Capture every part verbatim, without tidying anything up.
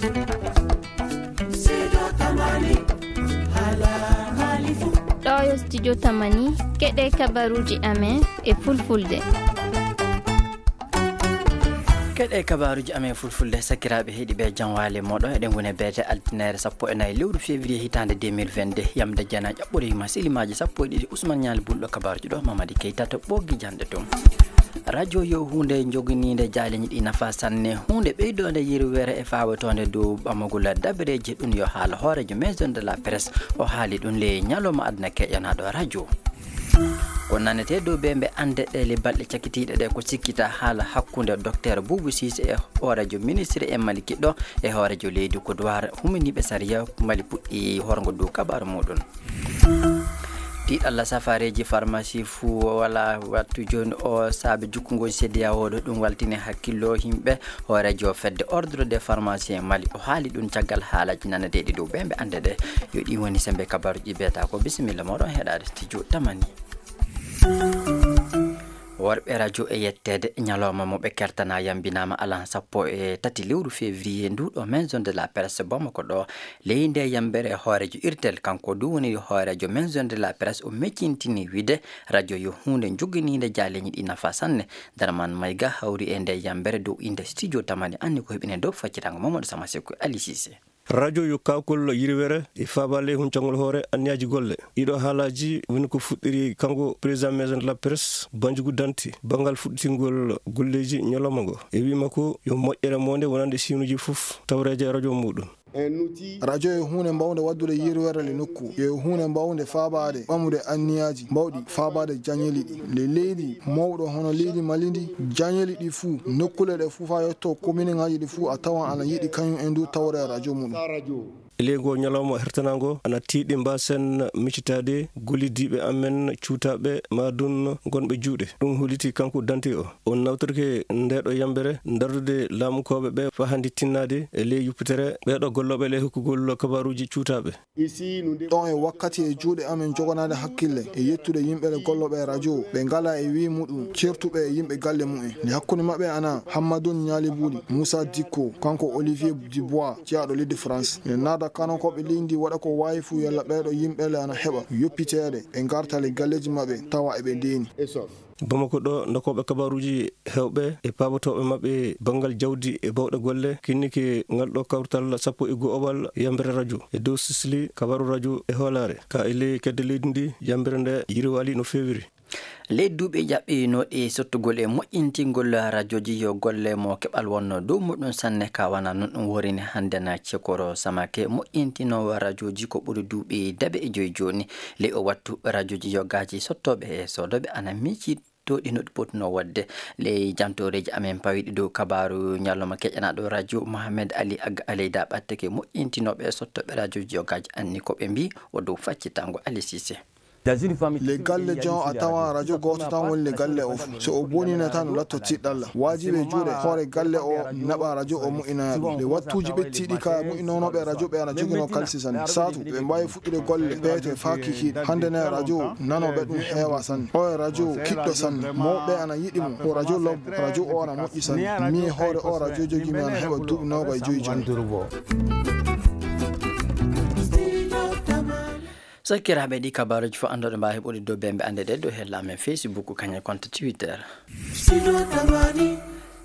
Ɗo yo studio Tamani, keɗe kabaruuji amen e fulfulde. Keɗe kabaruuji amen fulfulde, sakiraaɓe heɗiiɓe, jam waale mooɗon. Eɗen ngoni beete altinaare sappo e nayi lewru février hitaande deux mille vingt-deux. Yamde Jana ƴaɓɓoriima silimaaji sappo e ɗiɗi, Usman Ñaali Bulɗo kabaruuji ɗo, Mamadi Keita to ɓoggi janɗe tun. Radio yo huunde joginiinde jaaleeji ɗi nafa sanne, huunde ɓeydoonde yirwere e fawtoonde dow ɓamagol dabareeji, ɗum yo haala hooreejo Maison de la Presse, o haali ɗum le ñalawma aduna keƴanaaɗo radio. Ko nanetee dow ɓe mbe annde ɗe le balɗe cakitiiɗe ɗe ko sikkita haala hakkunde Docteur Boubou Cissé e hooreejo ministre e Mali kiɗɗo e hooreejo leydi Kodowar huminiiɓe sariya Mali puɗɗi horgo dow kabaru muɗum. Tiiɗalla safareeji farmasi fuu wala wattu jooni o saabe jukkungol C D A O ɗo ɗum waltini hakkillo yimɓe. Hooreejo fedde Ordre des Pharmaciens Mali o haali ɗum caggal haalaji naneteeɗi dow ɓe mbe annde ɗe. Yo ɗi woni sembe kabaruji beeta ko bisimilla moɗon heɗaade studio Tamani. Worɓe radio e yetteede ñalawma mo ɓe kertana yambinaama alan sappo e tati lewru février ndu ɗo Maison de la Presse Bamako ɗo. Ley nde yambere hooreejo irtel kanko du woni hooreejo Maison de la Presse o meccintini wiide radio yo huunde joginiinde jaaleeji ɗi nafa sanne. Darman Mayga hawri e nde yambere dow innde studio Tamani anni ko heɓine dow faccitango Mamadou Sama Seku Ali Cissé. Radio yo kaakol yirwere e faabaale huncangol hoore anniyaaji golle. Ɗiɗo haalaaji woni ko fuɗɗiri kanko président Maison de la Presse, Banjugu Dante, banngal fuɗɗitingol golleeji ñalawma ngo. E wii makko yo moƴƴere moonde wonande siinuuji fof tawreeje e radio muɗum. Radio yo huunde mbawnde waɗdude yirwere le nokku, yo huunde mbawnde faabaade ɓamude anniyaaji mbawɗi faabaade jañeeli ɗi. Le leydi mawɗo hono leydi Mali ndi, jañeeli ɗi fuu, nokkule ɗe fuu faa yetto kominiŋaaji ɗi fuu a tawan ana yiɗi kañum en du tawre radio muɗum. E ley ngoo ñalawma hertanaango ana tiiɗi mbaasen miccitaade gollidiiɓe amen cuutaaɓe maa dun ngonɓe juuɗe. Ɗum holliti kanko Dante o. On nawtorke ndeeɗo yambere dardude laamukooɓe ɓe faa hannde tinnaade e ley yuppitere ɓeeɗo gollooɓe ley hokkugol kabaruuji cuutaaɓe. Ɗon e wakkati e juuɗe amen joganaade hakkille e yettude yimɓe le gollooɓe e radio ɓe ngalaa e wii muɗum certuɓe e yimɓe galle mumen. Nde hakkunde maɓɓe ana Hammadun Ñaali Buuli, Muusa Dikko, kanko Olivier Dubois, jeyaaɗo leydi France. Nde naada kanankooɓe leydi ndi waɗa ko waawi fuu yalla ɓeeɗo yimɓe le ana heɓa yoppiteede ɓe ngarta le galleeji maɓɓe tawa eɓe ndeeni. Bamako ɗo, ndokooɓe kabaruuji heewɓe e paabotooɓe maɓɓe banngal jawdi e baawɗe golle, kinnike ngal ɗo kawtal sappo e go'obal yambere radio e dow sisli kabaru radio e hoolaare ka e ley kedde leydi ndi, yambere nde yirwaali no feewiri. Ley duuɓi jaɓɓinooɗi sottugol e moƴƴintingol rajooji yo golle mo keɓal wonno dow muɗum sanne ka wana non ɗum worini hannde na Cekoro Samake moƴƴintinoowo rajooji ko ɓuri duuɓi daɓe e joyi jooni. Ley o wattu rajooji yogaaji sottooɓe e soodooɓe ana miici to ɗi no ɗi potunoo waɗde. Ley jantooreeji amen pawiiɗi dow kabaaru ñalawma keƴanaaɗo radio Mohamed Ali Agga Aleyda ɓatteke moƴƴintinooɓe e sottooɓe rajooji yogaaji anni ko ɓe mbii o dow faccitango Ali Cissé. Le galle jon a tawan radio gooto tan woni le galle o fof. So o bonii ne tan latto tiɗɗalla. Waajibi e juuɗe hoore galle o naɓa radio o moƴƴinana ɗum. Le wattuuji ɓettiiɗi ka moƴƴinanooɓe radio ɓe ana joginoo kalisi sanne. Saatu ɓe mbaawi fuɗɗude golle peewte faa kikiiɗe. Hannde ne radio nanooɓe ɗum heewa sanne. O e radio kiɗɗo sanne. Mawɓe ana yiɗi mo. Ko radio lobbo. Radio o ana moƴƴi sanne. Mi e hoore o radio jogii mi ana heɓa duuɓi noogaye joyi jooni. Sakiraaɓe, ɗi kabaaruuji fof anndooɗo mbaawi heɓude dow bembe annde ɗe dow hella amen Facebook, kañum e compte Twitter.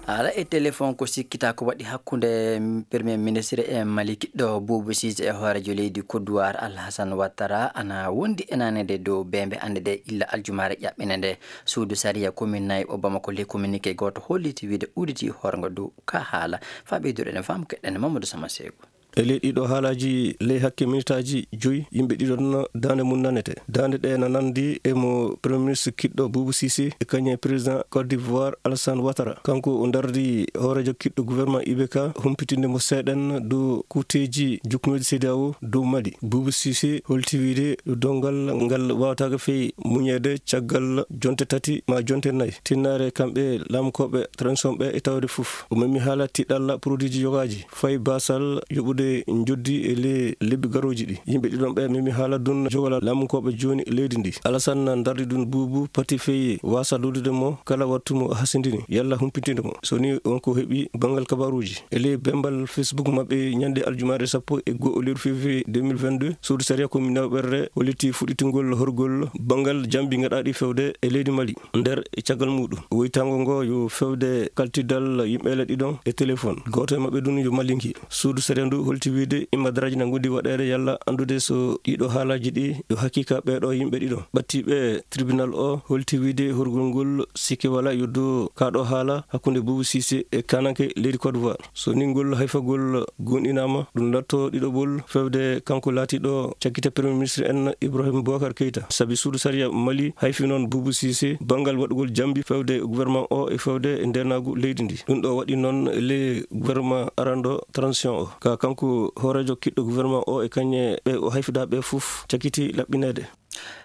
Haala e téléphone ko sikkita ko waɗi hakkunde Premier Ministre e Mali kiɗɗo Boubou Cissé e hooreejo leydi Kodowar Alhassane Ouattara ana wondi e nanede dow bembe annde ɗe illa aljumaare ƴaɓɓine nde. Suudu sariya commune nayi o Bamako ley communiqué gooto holliti wiide udditi horgo dow ka haala. Faa ɓeyduɗen e faamu keɗɗen Mamadou Sama Seeku. E ley ɗiɗo haalaaji, ley hakke minitaaji joyi, yimɓe ɗiɗon daande mum nanete. Daande ɗe na nanndi e mo Premier Ministre kiɗɗo Boubou Cissé e kañum e Président Côte d'Ivoire Alassane Ouattara. Kanko o dardi hooreejo kiɗɗo gouvernement I B K, humpitinde mo seeɗen dow kuuteeji jukkunooji C D A O dow Mali. Boubou Cissé holti wiide ɗo donngal ngal waawataake fey muñeede caggal jonte tati ma jonte nayi. Tinnaare kamɓe laamukooɓe transition ɓe e tawde fof. O memi haala tiɗalla produitji yogaaji, fayi baasal yoɓude e njoddi e le lebbi garooji ɗi. Yimɓe ɗiɗon ɓe memi haala ɗun jogolal laamunkooɓe jooni leydi ndi. Alasan dardi ɗun buubu pati feye waasa luudude mo kala wattu mo hasindini yalla humpitinde mo. So ni wonko heɓi banngal kabaruuji. E ley bembal Facebook maɓɓe ñande aljumaare sappo e go'o lewru février deux mille vingt-deux, suudu sariya commune Nawɓerre holliti fuɗɗitingol horgol banngal jambi gaɗaaɗi fewde e leydi Mali. Nder caggal muɗum, woytango ngo yo fewde kaltidal yimɓe le ɗiɗon e téléphone. Gooto e maɓɓe ɗum yo Malinki. Suudu sariya ndu holti wiide imma daraaji na ngondi waɗeede yalla anndude so ɗiɗo haalaaji ɗi yo hakiika ɓeeɗo yimɓe ɗiɗon. Ɓattiiɓe tribunal o holti wiide horgol ngol sikke wala yo do kaɗo haala hakkunde Boubou Cissé e kananke leydi Côte d'Ivoire. So ni ngol hayfagol gonɗinaama, ɗum latto ɗiɗoɓol fewde kanko laatiiɗo cakkite Premier Ministre en Ibrahim Boubacar Keita. Sabi suudu sariya Mali hayfi noon Boubou Cissé banngal waɗugol jambi fewde gouvernement o e fewde ndeenaagu leydi ndi. Ɗum ɗo waɗi noon le gouvernement arando transition o. Ka kanko hooreejo kiɗɗo gouvernement o e kañe ɓe o hayfidaa ɓe fof cakkiti laɓɓineede.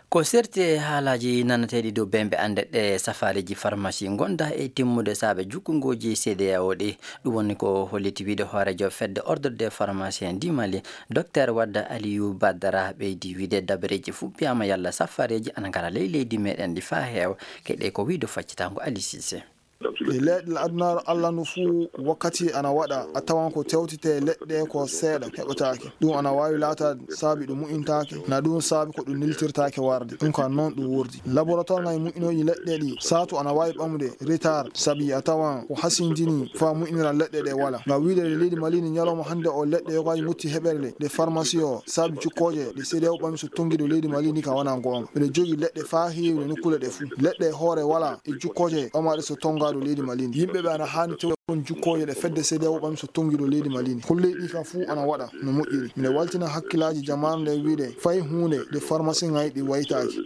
Ko serti e haalaaji nanateeɗi dow bembe annde ɗe safareeji farmasi ngonda e timmude saabe jukkungooji C D A O ɗi. Ɗum woni ko holliti wiide hooreejo fedde Ordre des Pharmaciens du Mali, Docteur Wadda Aliou Badara, ɓeydi wiide dabareeji fuɗɗiyaama yalla safareeji ana ngara ley leydi meɗen ndi faa heewa. Keɗe ko wiide faccitango Ali Cissé. E leɗɗe adunaaru Allah ndu fuu, wakkati ana waɗa, a tawan ko tewtete leɗɗe ko seeɗa heɓataake. Ɗum ana waawi laataade saabi ɗum mu'intaake, na ɗum saabi ko ɗum niltirtaake warde. Ɗum ka noon ɗum wurdi. Laboratoire ngal mu'inooji leɗɗe ɗi, saatu ana waawi ɓamude retard, sabi a tawan ko hasindini faa mu'inira leɗɗe ɗe wala. Ngam wiide nde leydi Mali ni ñalawma hannde o leɗɗe yogaaji mutti heɓere le, nde farmasi o, saabi jukkooje ɗe C D A O ɓami so tonngi ɗo leydi Mali ni ka wona goonga. Miɗo jogii leɗɗe faa heewi e nokkuule ɗe fuu. Leɗɗe e hoore wala e jukkooje ɓamaaɗe so tonngaa ɗo leydi Mali ni. Yimɓe ɓe ana haani tew kon jukkooje ɗe fedde C D A O ɓami so tonngi ɗo leydi Mali ni. Kon leyɗi ka fuu ana waɗa no moƴƴiri. Miɗo waltina hakkilaaji jamaanu nde wiide fay huunde nde farmasi ŋayɗi waytaaki.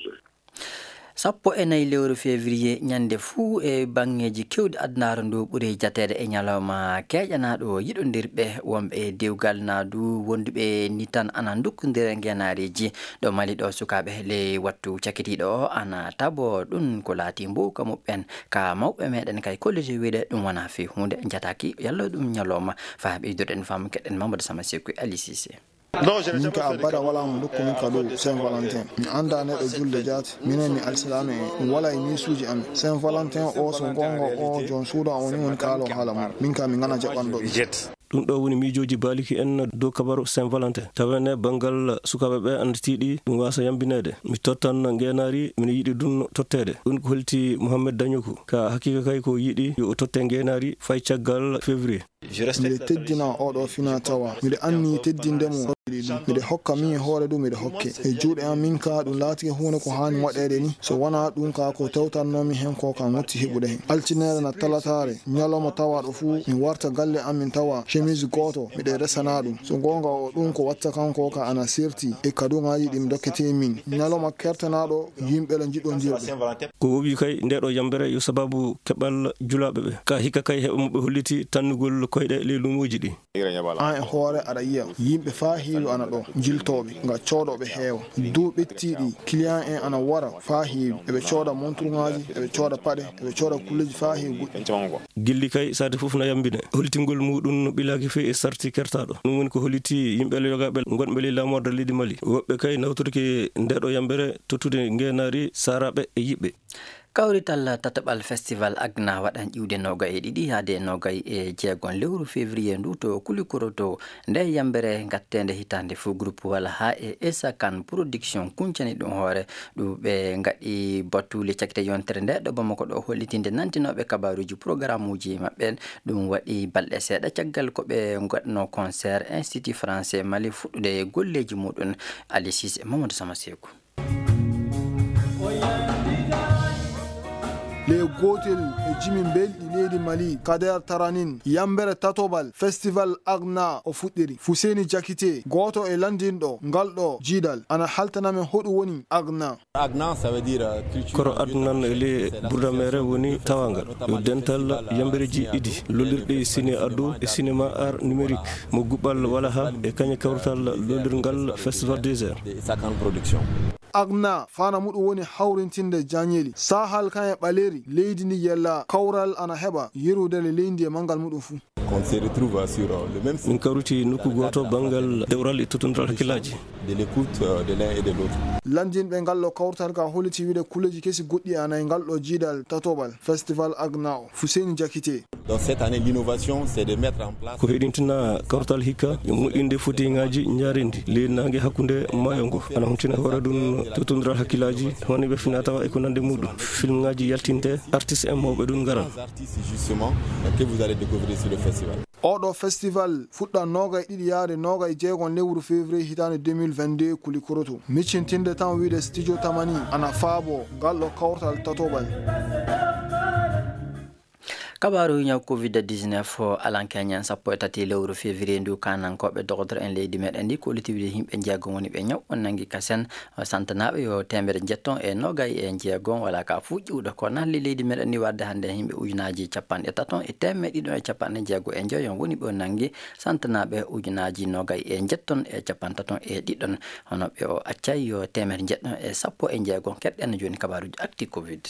Sappo e nayi lewru février, ñande fuu e baŋŋeeji keewɗi adunaaru ndu ɓuri jateede e ñalawma keeƴanaaɗo yiɗondirɓe wonɓe e dewgal naa du wonduɓe ni tan ana ndukkondira ngeenaariiji. Ɗo Mali ɗo, sukaaɓe ley wattu cakitiiɗo o ana tabo ɗum ko laati mbowka muɓɓen. Ka mawɓe meɗen kay kolliti wiide ɗum wonaa fii huunde, njataaki yalla ɗum ñalawma. Faa ɓeyduɗen faamu keɗen Mamadou Sama Seku e Ali Cissé. Min ka abada wala mo ndokku min ka dow Saint Valentin. Mi annda neɗɗo julde jaati. Minen mi alsilaame en. Ɗum wala e miisuuji amen. Saint Valentin o so goonga o joom suudu am woni woni kaalo haala mum. Min ka mi ngana jaɓanɗo ɗum. Ɗum ɗo woni miijooji baaliki en dow kabaru Saint Valentin. Tawene banngal sukaaɓe ɓe annditiiɗi ɗum waasa yambineede. Mi tottan ngeenaari, miɗo yiɗi ɗum totteede. Ɗum ko holti Mohamed Dañoku. Ka hakiika kay ko yiɗi yo o totte ngeenaari fay caggal février. Miɗo teddina oɗo fina tawa. Miɗo anni teddinde mo. Miɗo hokka min e hoore ɗum miɗo hokke. E juuɗe am min ka ɗum laatike huunde ko haani waɗeede ni. So wonaa ɗum ka ko tewtannoomi hen ko ka ŋotti heɓude hen. Altine na talataare, ñalawma tawaaɗo fuu, mi warta galle am min tawa chemise gooto, miɗo resana ɗum. So goonga o ɗum ko watta kanko ka ana serti e kaduŋaaji ɗi mi dokkete min. Ñalawma kertanaaɗo, yimɓe le njiɗondirɓe. Ko wowi kay nde ɗo yambere yo sababu keɓal julaaɓe ɓe. Ka hikka kay heɓa mo ɓe holliti tannugol koyɗe ley luumoji ɗi. An e hoore aɗa yiya yimɓe faa heewi ana ɗo jiltooɓe nga coodooɓe heewa. Dow ɓettiiɗi client en ana wara faa heewi. Eɓe cooda monturŋaaji, eɓe cooda paɗe, eɓe cooda kulleji faa heewi goɗɗi. Gilli kay saate fof na yambine. Hollitingol muɗum no ɓilaaki fey e sarti kertaaɗo. Ɗum woni ko holliti yimɓe le yogaaɓe gonɓe ley laamorde leydi Mali. Woɓɓe kay nawtorki nde ɗo yambere tottude ngeenaari saaraaɓe e yiɓɓe. Kawrital tataɓal festival Agna waɗan ƴiwde nogay e ɗiɗi yaade nogay e jeegon lewru février ndu to Kulikoro to. Nde yambere gatteende hitaande fuu groupe wala haa e Esa Kan Production kuncani ɗum hoore. Ɗum ɓe ngaɗi battuule cakite yontere nde ɗo Bamako ɗo hollitinde nantinooɓe kabaruuji programmuuji maɓɓe. Ɗum waɗi balɗe seeɗa caggal ko ɓe ngaɗno concert Institut Français Mali fuɗɗude golleeji muɗum. Ali Cissé, Mamadou Sama Seku. Le gootel e jimi belɗi leydi Mali, Kader Taranin, yambere tatobal festival Agna o fuɗɗiri. Fuseni Jakite, gooto e landinɗo ngal ɗo jiidal, ana haltana men hoɗum woni Agna. Agna, ça veut dire, euh, culture. Koro Adnan e le Burda Mere woni tawangal. Yo dental yambereji ɗiɗi, lollirɗe ciné ado e cinéma art numérique, mo guɓal wala ha e kañe kawrital lollirgal Festival des Arts. De Sakan Production. Agna fana muɗum woni hawrintinde jañeeli. Sahal kan e ɓaleeri leydi ndi yella kawral ana heɓa yerwudere leydi e manngal muɗum fuu. On se retrouve sur, euh, le même Min kawriti nokku gooto banngal dewral e tottondiral hakkillaaji. De l'écoute, euh, de l'un et de l'autre. Lanndinɓe ngal ɗo kawtal ka holliti wiide kulleeji kesi goɗɗi ana e ngal ɗo jiidal tatoɓal Festival Agna o. Fuseni Jakite. Donc cette année, l'innovation, c'est de mettre en place Ko heɗintina kawtal hikka e moƴƴinde footingaaji njaareendi ley naange hakkunde maayo ngo. Ana huntina hoore ɗum tottondiral hakkillaaji, woni ɓe finatawa e ko nande muɗum. Filmngaaji yaltinte, artiste en mawɓe ɗum ngaran. Trois artistes, justement, que vous allez découvrir sur le festival. Oɗo festival fuɗɗa noogay ɗiɗi yaade noogay jeegon lewru février hitaande deux mille vingt-deux Kulikoroto. Miccintinde tan wiide Studio Tamani ana faabo ngal ɗo kawtal tatoɓal. Kabaaru ñaw covid dix-neuf o alankeñen sappo e tati lewru février ndu, kanankooɓe dogotor en leydi meɗen ndi kolliti wiide yimɓe jeego woni ɓe ñaw on nangi kasen. Santanaaɓe yo teemedere njetton e noogay e jeego, wala ka fuu ƴiwɗo ko nalli leydi meɗen ndi warde hannde yimɓe ujunaaji capanɗe taton e teemedde ɗiɗon e capanɗe jeego e njoyon woni ɓe o nangi. Santanaaɓe ujunaaji noogay e njetton e capanɗe taton e ɗiɗon, hono ɓe o accay yo teemedere njetton e sappo e jeego. Keɗɗen jooni kabaaruji actu covid.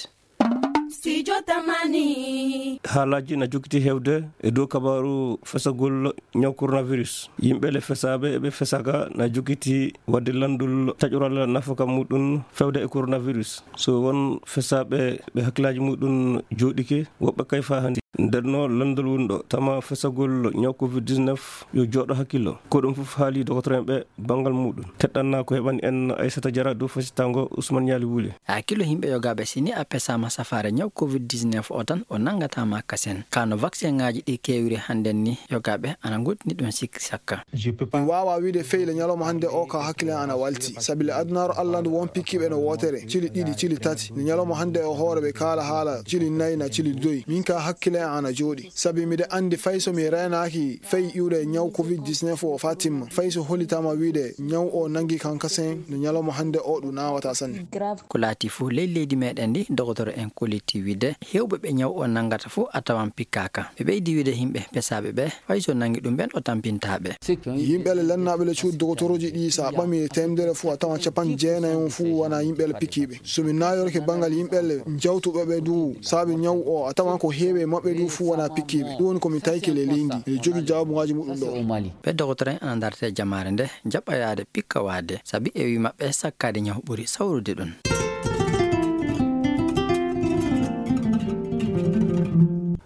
Studio Tamani. Haalaaji na jokiti heewde e dow kabaaru fesagol ñaw coronavirus. Yimɓe le fesaaɓe e ɓe fesaaka na jokiti waɗde lanndol taƴoral nafaka muɗum fewde e coronavirus. So won fesaaɓe ɓe hakkillaaji muɗum jooɗike, woɓɓe kay faa hannde. Nder no lanndol woni ɗo, tama fesagol ñaw covid dix-neuf yo jooɗo hakkillo. Ko ɗum fof haali dogotoreeɓe banngal muɗum. Teɗɗanna ko heɓani en Aissata Diarra dow fasitango Ousmane Nialy Wule. Hakkillo yimɓe yogaaɓe, si ni a pesaama safaare ñaw covid dix-neuf o tan, o nangata ma kasen. Ka no vaccin ngaaji ɗi keewiri hannden ni, yogaaɓe ana ngoɗɗini ɗum sikki sakka. Mi waawaa wiide fey le ñalawma hannde o ka hakkille ana walti. Sabi le adunaaru Alla ndu won pikkiiɓe no wootere, cili ɗiɗi, cili tati. Nde ñalawma hannde o hoore ɓe kaala haala cili nayi na cili doy. Min ka hakkille ana jooɗi. Sabi miɗo anndi fay so mi reenaaki fay iwde ñaw covid dix-neuf o faa timma. Fay so hollitaama wiide ñaw o nangi kan kasen no ñalawma hannde o ɗum naawata sanne. Ko laati fof ley leydi meɗen ndi, dogotoro en kolliti wiide heewɓe ɓe ñaw o nangata fof a tawan pikkaaka. Ɓe ɓeydi wiide yimɓe pesaaɓe ɓe, fay so nangi ɗum ɓen o tampintaa ɓe. Yimɓe le lannaaɓe le cuuɗi dogotorooji ɗi, so a ɓami e teemedere fof a tawan capanɗe jeenayi on fof wona yimɓe le pikkiiɓe. So mi naayorke banngal yimɓe le jawtuɓe ɓe du saabi ñaw o, a tawan ko heewi e maɓɓe du fof wona pikkiiɓe. Ɗum woni ko mi tawki le leydi. Miɗo jogii jawaabungaaji muɗum ɗo. Ɓe dogotoro en ana dartee jamaare nde jaɓɓa yaade pikkawaade, sabi e wii maɓɓe sakkaade ñaw ɓuri sawrude ɗum.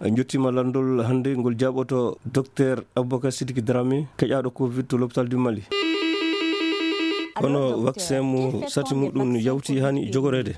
En njottiima lanndol hannde ngol jaaɓoto Docteur Aboubacar Sidiki Dramé, keƴaaɗo covid to l'hôpital du Mali. Hono vaccin mo sarti muɗum yawti hani jogoreede.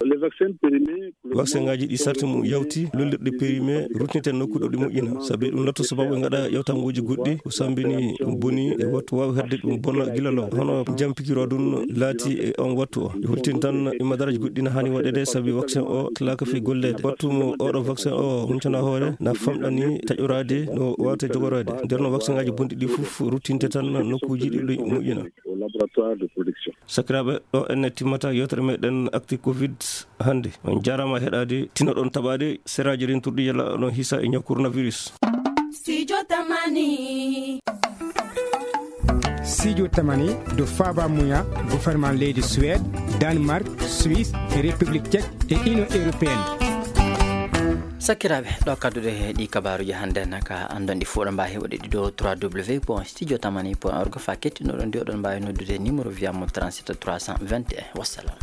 Vaccin ngaaji ɗi sarti mum yawti, lollirɗe périmé, ruttinten nokku ɗo ɗi moƴƴina. Sabi ɗum latto sababu ɓe ngaɗa yawtangooji goɗɗi, ko sambini, ɗum boni, e wattu waawi hedde ɗum bona gila law. Hono jam pikiro ɗum laati e on wattu o. Yo hultin tan, ɗi madaraaji goɗɗi na hani waɗeede, sabi vaccin o talaaka fii golleede. Wattu mo oɗo vaccin o huncana hoore, na famɗani taƴoraade no waawte jogoreede. Nder no vaccin ngaaji bonɗi ɗi fof ruttinte tan nokkuuji ɗi ɗi moƴƴina. Au laboratoire de production. Sakiraaɓe, ɗo enne timmata yewtere meɗen actu covid hannde. On jaaraama heɗaade, tinoɗon taɓaade seraaji renturɗi yalla oɗon hisa e ñaw coronavirus. Studio Tamani. Studio Tamani ɗo faaba muya gouvernement leydi Suède, Danemark, Suisse, République Tchèque e Union Européenne. Sakiraaɓe, ɗo kadduɗe ɗi kabaaruji hannde naka anndon ɗi fof ɗo mbaawi heɓude ɗi ɗo trois w point studio tamani point org. Fa kettinoɗon ndi oɗon mbaawi noddude numéro via mo trente-sept trois cent vingt et un. Wassalam.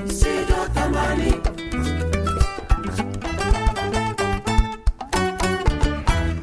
Studio Tamani.